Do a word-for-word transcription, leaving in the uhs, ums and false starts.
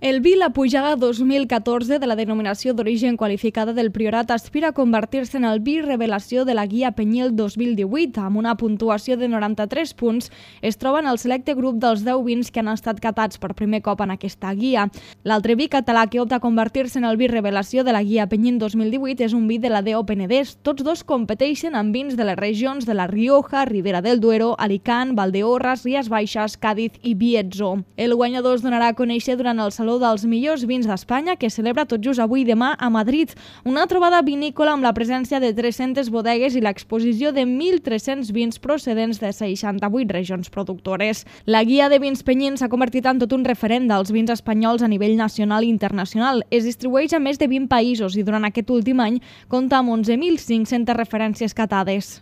El vi La Pujada dos mil catorze de la denominació d'origen qualificada del Priorat aspira a convertir-se en el vi revelació de la Guia Penyel dos mil divuit. Amb una puntuació de noranta-tres punts, es troba en el selecte grup dels deu vins que han estat catats per primer cop en aquesta guia. L'altre vi català que opta a convertir-se en el vi revelació de la Guia Penyel dos mil divuit és un vi de la D O Penedès. Tots dos competeixen amb vins de les regions de la Rioja, Ribera del Duero, Alicant, Valdeorras, Ries Baixes, Càdiz i Bierzo. El guanyador es donarà a conèixer durant el Saló dels millors vins d'Espanya, que celebra tot just avui i demà a Madrid. Una trobada vinícola amb la presència de tres-centes bodegues i l'exposició de mil tres-cents vins procedents de seixanta-vuit regions productores. La Guia de Vins Penyins s'ha convertit en tot un referent dels vins espanyols a nivell nacional i internacional. Es distribueix a més de vint països i durant aquest últim any compta amb onze mil cinc-centes referències catades.